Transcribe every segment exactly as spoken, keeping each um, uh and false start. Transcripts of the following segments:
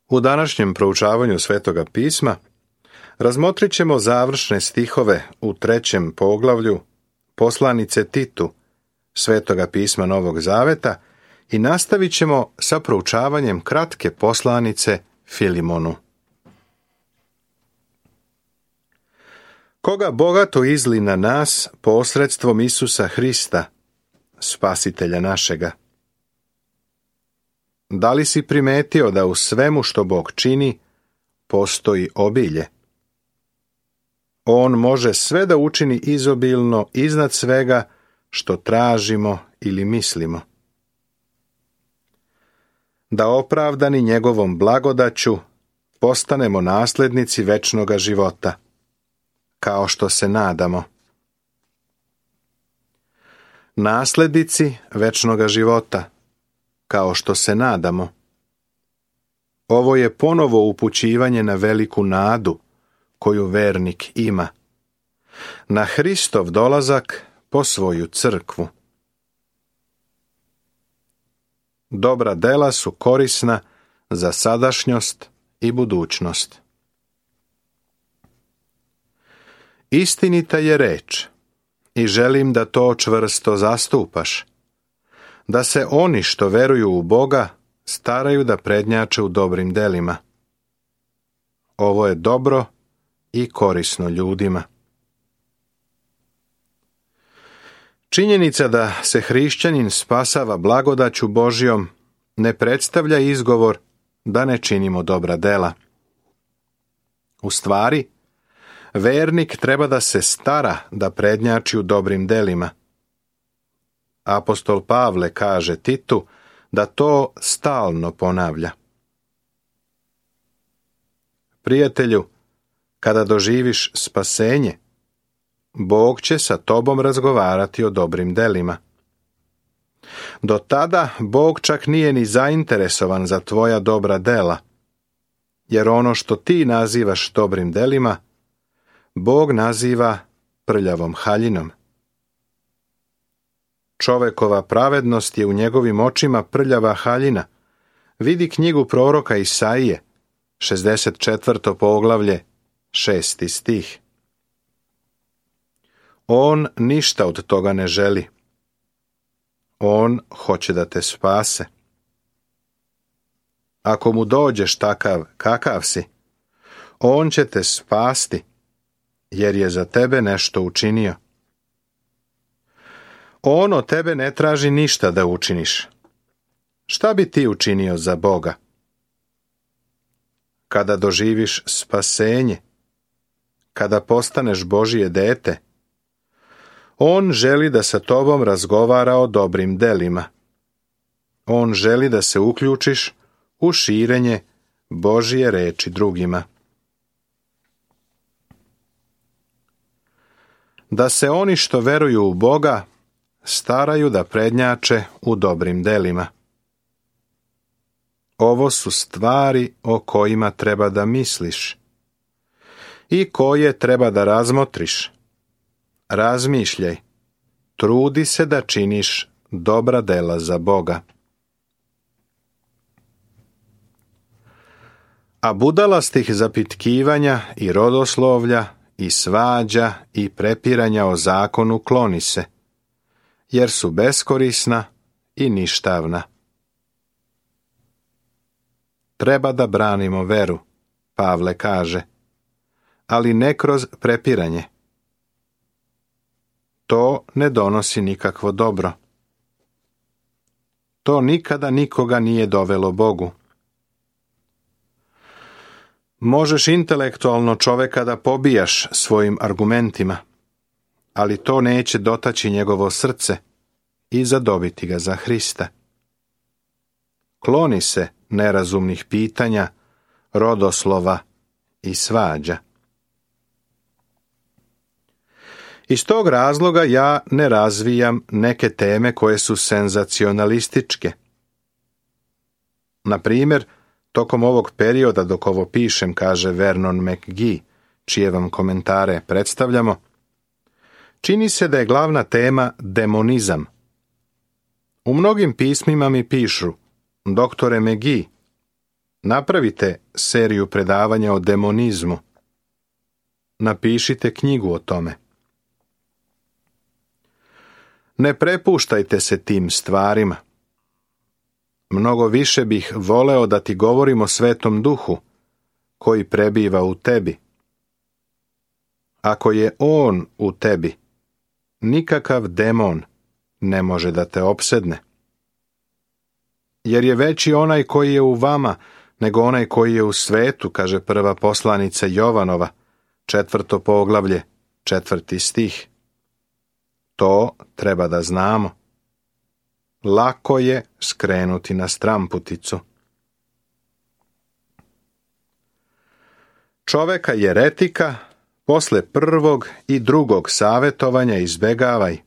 U današnjem proučavanju Svetoga pisma razmotrit ćemo završne stihove u trećem poglavlju poslanice Titu Svetoga pisma Novog Zaveta i nastavit ćemo sa proučavanjem kratke poslanice Filimonu. Koga bogato izli na nas posredstvom Isusa Hrista, Spasitelja našega. Da li si primetio da u svemu što Bog čini postoji obilje? On može sve da učini izobilno iznad svega što tražimo ili mislimo. Da opravdani njegovom blagodaću postanemo naslednici večnoga života, kao što se nadamo. Naslednici večnoga života, kao što se nadamo. Ovo je ponovo upućivanje na veliku nadu koju vernik ima, na Hristov dolazak po svoju crkvu. Dobra dela su korisna za sadašnjost i budućnost. Istinita je reč i želim da to čvrsto zastupaš, da se oni što veruju u Boga staraju da prednjače u dobrim delima. Ovo je dobro i korisno ljudima. Činjenica da se hrišćanin spasava blagodaću Božjom ne predstavlja izgovor da ne činimo dobra dela. U stvari, vernik treba da se stara da prednjači u dobrim delima. Apostol Pavle kaže Titu da to stalno ponavlja. Prijatelju, kada doživiš spasenje, Bog će sa tobom razgovarati o dobrim delima. Do tada Bog čak nije ni zainteresovan za tvoja dobra dela, jer ono što ti nazivaš dobrim delima, Bog naziva prljavom haljinom. Čovekova pravednost je u njegovim očima prljava haljina. Vidi knjigu proroka Isaije, šezdeset četvrto poglavlje, šesti stih. On ništa od toga ne želi. On hoće da te spase. Ako mu dođeš takav kakav si, on će te spasti, jer je za tebe nešto učinio. On od tebe ne traži ništa da učiniš. Šta bi ti učinio za Boga? Kada doživiš spasenje, kada postaneš Božije dete, On želi da sa tobom razgovara o dobrim delima. On želi da se uključiš u širenje Božije reči drugima. Da se oni što veruju u Boga staraju da prednjače u dobrim delima. Ovo su stvari o kojima treba da misliš i koje treba da razmotriš. Razmišljaj, trudi se da činiš dobra dela za Boga. A budalastih zapitkivanja i rodoslovlja i svađa i prepiranja o zakonu kloni se, jer su beskorisna i ništavna. Treba da branimo veru, Pavle kaže, ali ne kroz prepiranje. To ne donosi nikakvo dobro. To nikada nikoga nije dovelo Bogu. Možeš intelektualno čoveka da pobijaš svojim argumentima, ali to neće dotaći njegovo srce i zadobiti ga za Hrista. Kloni se nerazumnih pitanja, rodoslova i svađa. Iz tog razloga ja ne razvijam neke teme koje su senzacionalističke. Na primjer, tokom ovog perioda dok ovo pišem, kaže Vernon McGee, čije vam komentare predstavljamo, čini se da je glavna tema demonizam. U mnogim pismima mi pišu: doktore McGee, Napravite seriju predavanja o demonizmu. Napišite knjigu o tome. Ne prepuštajte se tim stvarima. Mnogo više bih voleo da ti govorim o Svetom Duhu, koji prebiva u tebi. Ako je On u tebi, nikakav demon ne može da te opsedne. Jer je veći onaj koji je u vama nego onaj koji je u svetu, kaže prva poslanica Jovanova, četvrto poglavlje, četvrti stih. To treba da znamo. Lako je skrenuti na stramputicu. Čoveka jeretika posle prvog i drugog savjetovanja izbegavaj.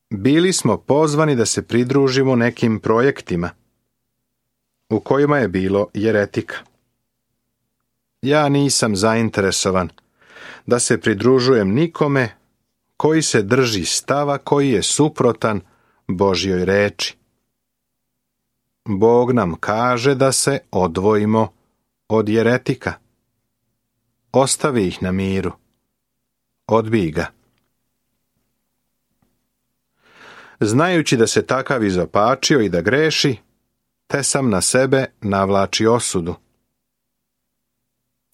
Bili smo pozvani da se pridružimo nekim projektima u kojima je bilo jeretika. Ja nisam zainteresovan da se pridružujem nikome koji se drži stava koji je suprotan Božjoj reči. Bog nam kaže da se odvojimo od jeretika. Ostavi ih na miru. Odbij ga. Znajući da se takav izopačio i da greši, te sam na sebe navlači osudu.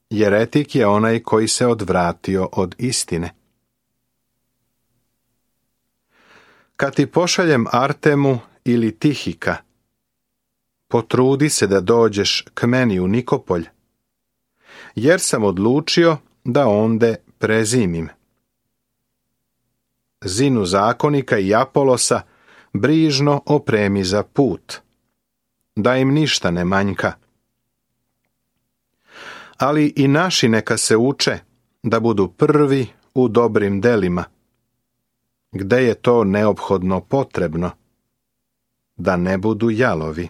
Jeretik je onaj koji se odvratio od istine. Kad ti pošaljem Artemu ili Tihika, potrudi se da dođeš k meni u Nikopolj, jer sam odlučio da onde prezimim. Zinu zakonika i Apolosa brižno opremi za put, da im ništa ne manjka. Ali i naši neka se uče da budu prvi u dobrim delima, gde je to neophodno potrebno, da ne budu jalovi.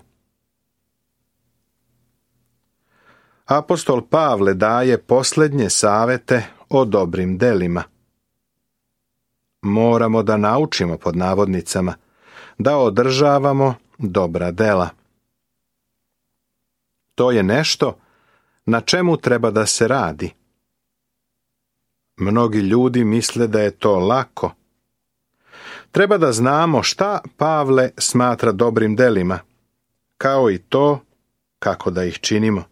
Apostol Pavle daje posljednje savete o dobrim delima. Moramo da naučimo, pod navodnicama, da održavamo dobra dela. To je nešto na čemu treba da se radi. Mnogi ljudi misle da je to lako. Treba da znamo šta Pavle smatra dobrim delima, kao i to kako da ih činimo.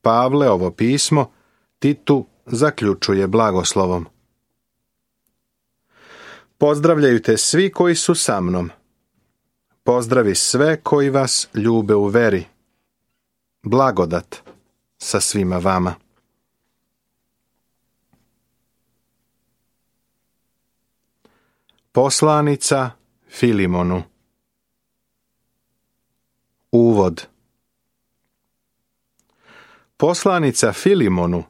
Pavle ovo pismo Titu zaključuje blagoslovom. Pozdravljaju te svi koji su sa mnom. Pozdravi sve koji vas ljube u veri. Blagodat sa svima vama. Poslanica Filimonu. Uvod. Poslanica Filimonu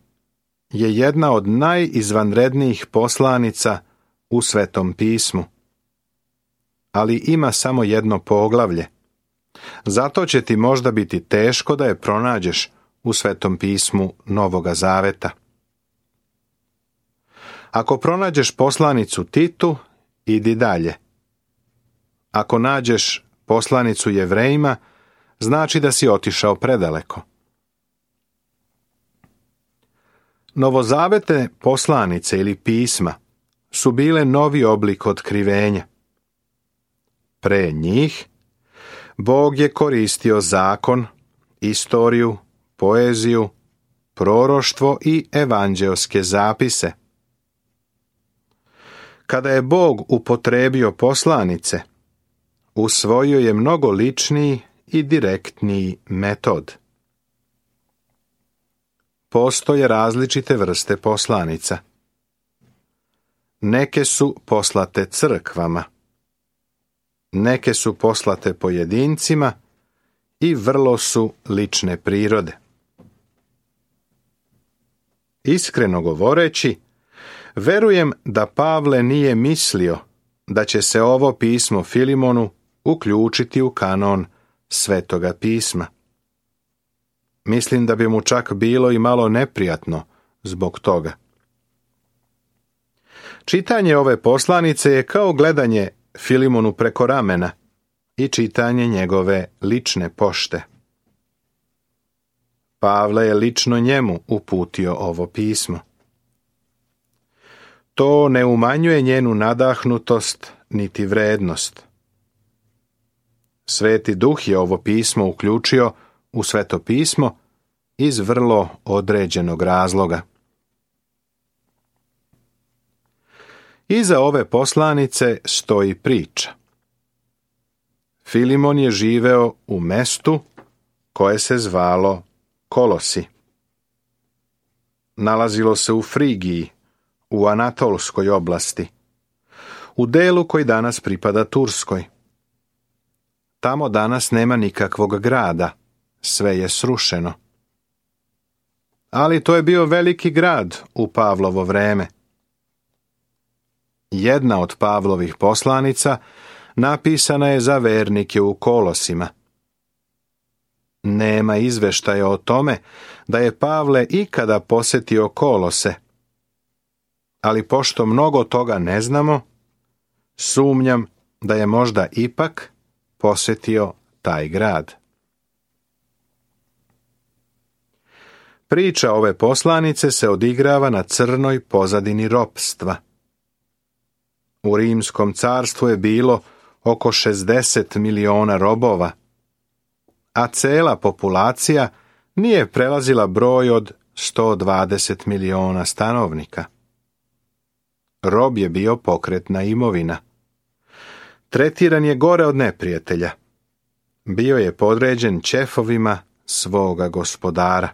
je jedna od najizvanrednijih poslanica u Svetom pismu, ali ima samo jedno poglavlje. Zato će ti možda biti teško da je pronađeš u Svetom pismu Novoga Zaveta. Ako pronađeš poslanicu Titu, idi dalje. Ako nađeš poslanicu Jevrejima, znači da si otišao predaleko. Novozavetne poslanice ili pisma su bile novi oblik otkrivenja. Pre njih, Bog je koristio zakon, istoriju, poeziju, proroštvo i evanđeoske zapise. Kada je Bog upotrebio poslanice, usvojio je mnogo ličniji i direktniji metod. Postoje različite vrste poslanica. Neke su poslate crkvama, neke su poslate pojedincima i vrlo su lične prirode. Iskreno govoreći, verujem da Pavle nije mislio da će se ovo pismo Filimonu uključiti u kanon Svetoga pisma. Mislim da bi mu čak bilo i malo neprijatno zbog toga. Čitanje ove poslanice je kao gledanje Filimonu preko ramena i čitanje njegove lične pošte. Pavle je lično njemu uputio ovo pismo. To ne umanjuje njenu nadahnutost niti vrednost. Sveti Duh je ovo pismo uključio u Sveto pismo iz vrlo određenog razloga. Iza ove poslanice stoji priča. Filimon je živeo u mestu koje se zvalo Kolosi. Nalazilo se u Frigiji, u Anatolskoj oblasti, u delu koji danas pripada Turskoj. Tamo danas nema nikakvog grada, sve je srušeno. Ali to je bio veliki grad u Pavlovo vreme. Jedna od Pavlovih poslanica napisana je za vernike u Kolosima. Nema izveštaja o tome da je Pavle ikada posjetio Kolose, ali pošto mnogo toga ne znamo, sumnjam da je možda ipak posjetio taj grad. Priča ove poslanice se odigrava na crnoj pozadini ropstva. U Rimskom carstvu je bilo oko šezdeset miliona robova, a cela populacija nije prelazila broj od sto dvadeset miliona stanovnika. Rob je bio pokretna imovina. Tretiran je gore od neprijatelja. Bio je podređen ćefovima svoga gospodara.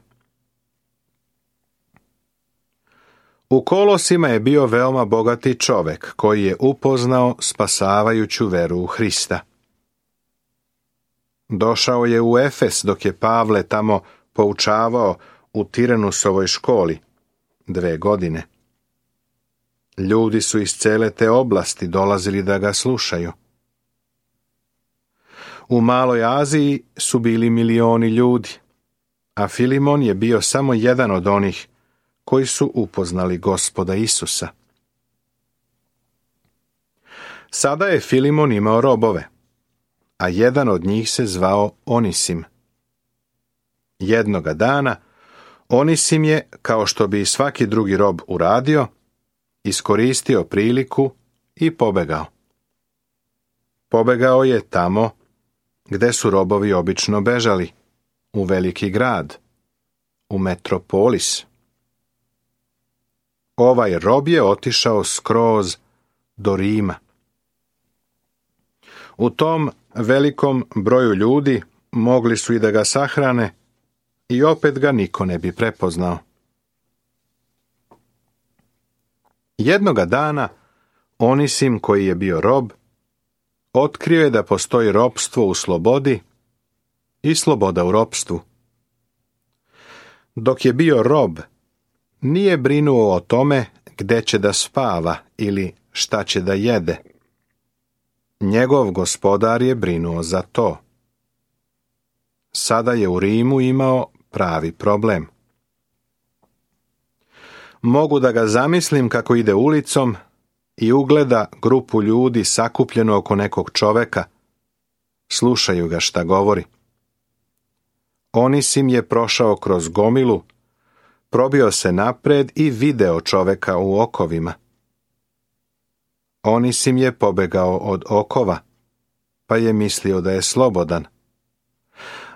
U Kolosima je bio veoma bogati čovek koji je upoznao spasavajuću veru u Hrista. Došao je u Efes dok je Pavle tamo poučavao u Tiranusovoj školi dve godine. Ljudi su iz cele te oblasti dolazili da ga slušaju. U Maloj Aziji su bili milioni ljudi, a Filimon je bio samo jedan od onih koji su upoznali Gospoda Isusa. Sada je Filimon imao robove, a jedan od njih se zvao Onisim. Jednoga dana Onisim je, kao što bi svaki drugi rob uradio, iskoristio priliku i pobegao. Pobegao je tamo gde su robovi obično bežali, u veliki grad, u metropolis. Ovaj rob je otišao skroz do Rima. U tom velikom broju ljudi mogli su i da ga sahrane i opet ga niko ne bi prepoznao. Jednoga dana Onisim, koji je bio rob, otkrio je da postoji ropstvo u slobodi i sloboda u ropstvu. Dok je bio rob, nije brinuo o tome gde će da spava ili šta će da jede. Njegov gospodar je brinuo za to. Sada je u Rimu imao pravi problem. Mogu da ga zamislim kako ide ulicom i ugleda grupu ljudi sakupljeno oko nekog čoveka. Slušaju ga šta govori. Onisim je prošao kroz gomilu, probio se napred i video čoveka u okovima. Onisim je pobegao od okova, pa je mislio da je slobodan.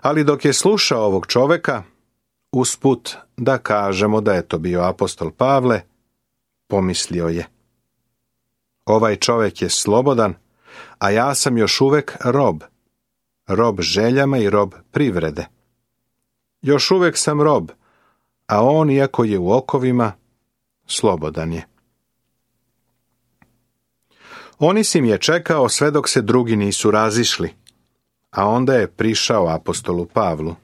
Ali dok je slušao ovog čoveka, usput da kažemo da je to bio apostol Pavle, pomislio je: ovaj čovek je slobodan, a ja sam još uvek rob, rob željama i rob privrede. Još uvek sam rob, a on, iako je u okovima, slobodan je. Onisim je čekao sve dok se drugi nisu razišli, a onda je prišao apostolu Pavlu.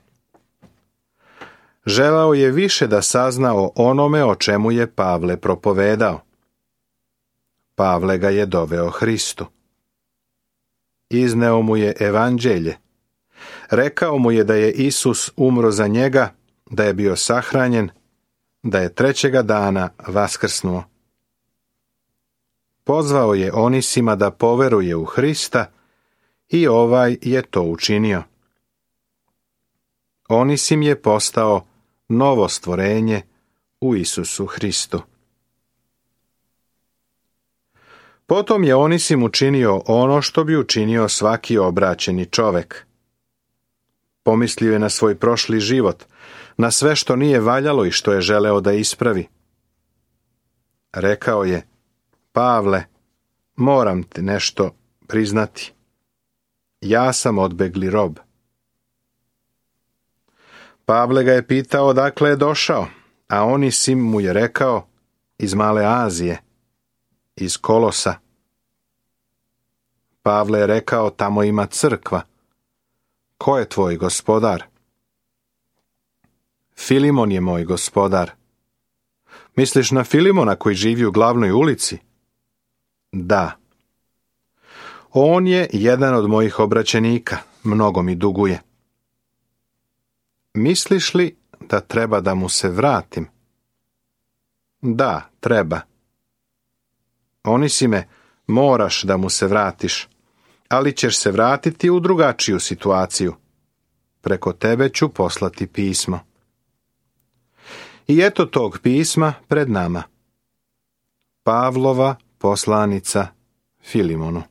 Želao je više da sazna o onome o čemu je Pavle propovedao. Pavle ga je doveo Hristu. Izneo mu je evanđelje. Rekao mu je da je Isus umro za njega, da je bio sahranjen, da je trećega dana vaskrsnuo. Pozvao je Onisima da poveruje u Hrista i ovaj je to učinio. Onisim je postao novo stvorenje u Isusu Hristu. Potom je Onisim učinio ono što bi učinio svaki obraćeni čovek. Pomislio je na svoj prošli život, na sve što nije valjalo i što je želeo da ispravi. Rekao je: Pavle, moram ti nešto priznati. Ja sam odbegli rob. Pavle ga je pitao odakle je došao, a Onisim mu je rekao: iz Male Azije, iz Kolosa. Pavle je rekao: tamo ima crkva. Ko je tvoj gospodar? Filimon je moj gospodar. Misliš na Filimona koji živi u glavnoj ulici? Da. On je jedan od mojih obraćenika, mnogo mi duguje. Misliš li da treba da mu se vratim? Da, treba. Onisime, moraš da mu se vratiš, ali ćeš se vratiti u drugačiju situaciju. Preko tebe ću poslati pismo. I eto tog pisma pred nama. Pavlova poslanica Filimonu.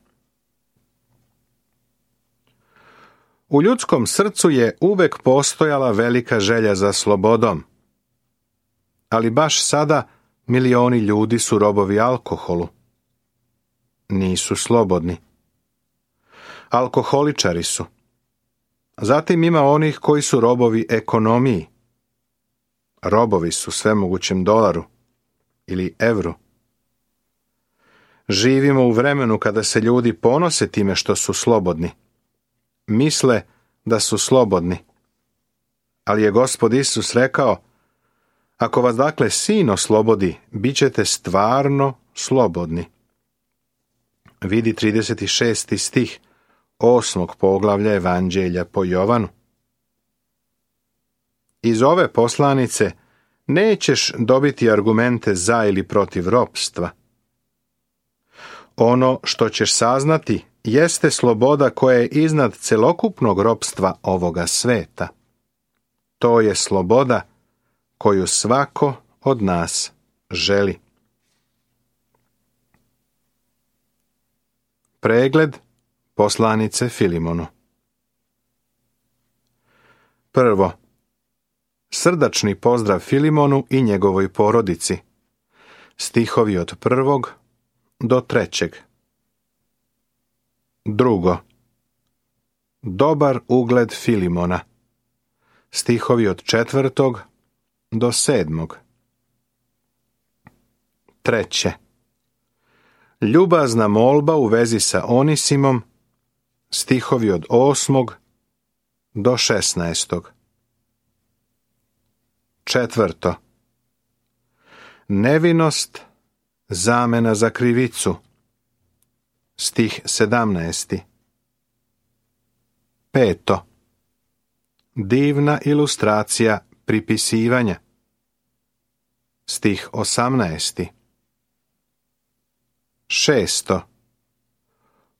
U ljudskom srcu je uvek postojala velika želja za slobodom. Ali baš sada milioni ljudi su robovi alkoholu. Nisu slobodni. Alkoholičari su. Zatim ima onih koji su robovi ekonomiji. Robovi su svemogućem dolaru ili evru. Živimo u vremenu kada se ljudi ponose time što su slobodni. Misle da su slobodni. Ali je Gospod Isus rekao: ako vas dakle Sin oslobodi, bit ćete stvarno slobodni. Vidi trideset šesti stih osmog poglavlja Evanđelja po Jovanu. Iz ove poslanice nećeš dobiti argumente za ili protiv ropstva. Ono što ćeš saznati jeste sloboda koja je iznad celokupnog ropstva ovoga sveta. To je sloboda koju svako od nas želi. Pregled poslanice Filimonu. Prvo, srdačni pozdrav Filimonu i njegovoj porodici. Stihovi od prvog do trećeg. Drugo, dobar ugled Filimona. Stihovi od četvrtog do sedmog. Treće, ljubazna molba u vezi sa Onisimom. Stihovi od osmog do šesnaestog. Četvrto, nevinost, zamena za krivicu. Stih sedamnaesti. Peto, divna ilustracija pripisivanja. Stih osamnaesti. Šesto,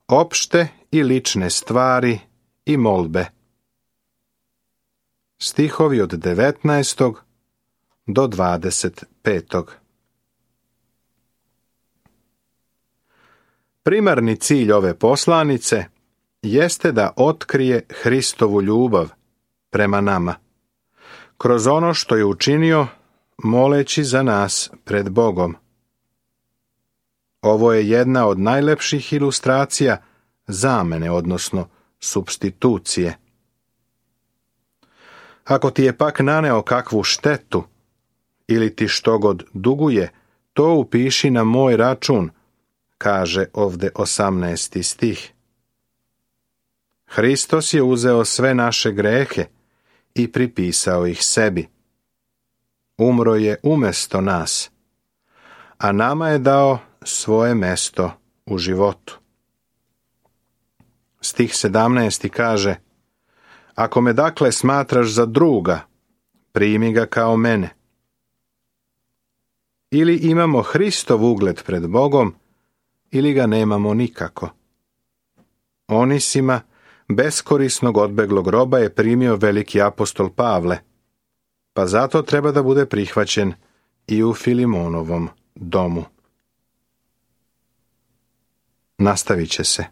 opšte i lične stvari i molbe. Stihovi od devetnaestog do dvadeset petog. Primarni cilj ove poslanice jeste da otkrije Hristovu ljubav prema nama, kroz ono što je učinio moleći za nas pred Bogom. Ovo je jedna od najlepših ilustracija zamene, odnosno supstitucije. Ako ti je pak naneo kakvu štetu ili ti što god duguje, to upiši na moj račun, kaže ovde osamnaesti stih. Hristos je uzeo sve naše grehe i pripisao ih sebi. Umro je umesto nas, a nama je dao svoje mesto u životu. Stih sedamnaesti kaže: ako me dakle smatraš za druga, primi ga kao mene. Ili imamo Hristov ugled pred Bogom, ili ga nemamo nikako. Onisima, beskorisnog odbeglog roba, je primio veliki apostol Pavle, pa zato treba da bude prihvaćen i u Filimonovom domu. Nastavit će se.